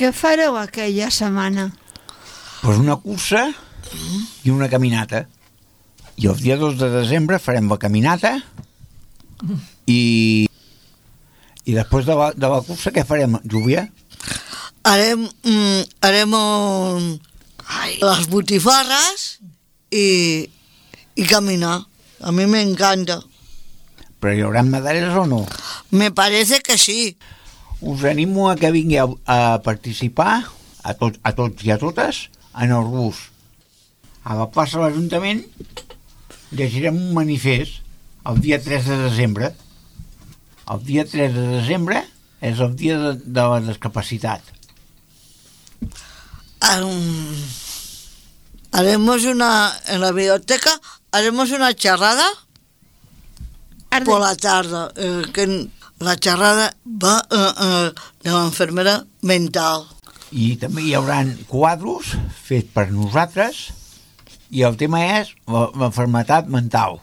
Què fareu aquella setmana? Pues una cursa i una caminata. I el dia 2 de desembre farem la caminata i després de la cursa què farem, Júlia? Harem les botifarres i caminar. A mi me encanta. Però hi haurà medalles o no? Me parece que sí. Us animo a que vingueu a participar, a tots i a totes, en el bus. A la plaça de l'Ajuntament llegirem un manifest el dia 3 de desembre. El dia 3 de desembre és el dia de la discapacitat. En la biblioteca haremos una charrada por la tarde, que la charrada va de l'enfermera mental. I també hi haurà quadros fets per nosaltres i el tema és l'enfermetat mental.